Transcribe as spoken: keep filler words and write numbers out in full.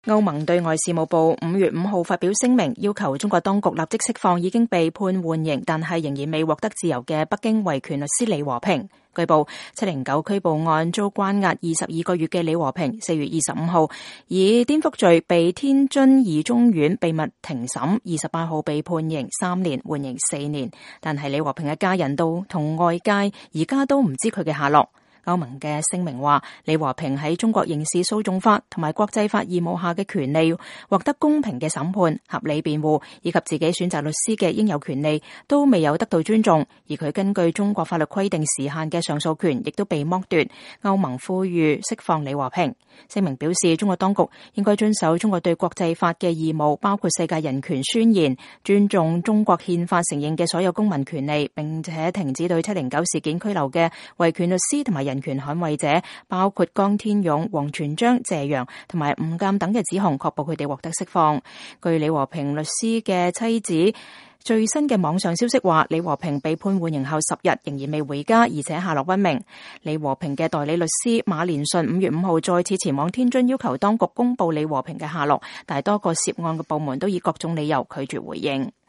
歐盟對外事務部五月五號發表聲明，要求中國當局立即釋放已經被判緩刑但係仍然未獲得自由嘅北京維權律師李和平。據報，七零九拘捕案遭關押二十二個月嘅李和平，四月二十五號以顛覆罪被天津二中院秘密庭審，二十八號被判刑三年，緩刑四年。但係李和平嘅家人都同外界而家都唔知佢嘅下落。歐盟嘅聲明話，李和平喺中國刑事訴訟法同埋國際法義務下嘅權利，獲得公平嘅審判、合理辯護以及自己選擇律師嘅應有權利，都未有得到尊重。而佢根據中國法律規定時限嘅上訴權，亦都被剝奪。歐盟呼籲釋放李和平。聲明表示，中國當局應該遵守中國對國際法嘅義務，包括世界人權宣言，尊重中國憲法承認嘅所有公民權利，並且停止對七零九事件拘留嘅維權律師同埋人權捍衛者，包括江天勇、王全璋、謝陽同埋吳鑑等嘅指控，確保佢哋獲得釋放。據李和平律師嘅妻子最新嘅網上消息話，李和平被判緩刑後十日仍然未回家，而且下落不明。李和平嘅代理律師馬連順五月五號再次前往天津，要求當局公布李和平嘅下落，但係多個涉案嘅部門都以各種理由拒絕回應。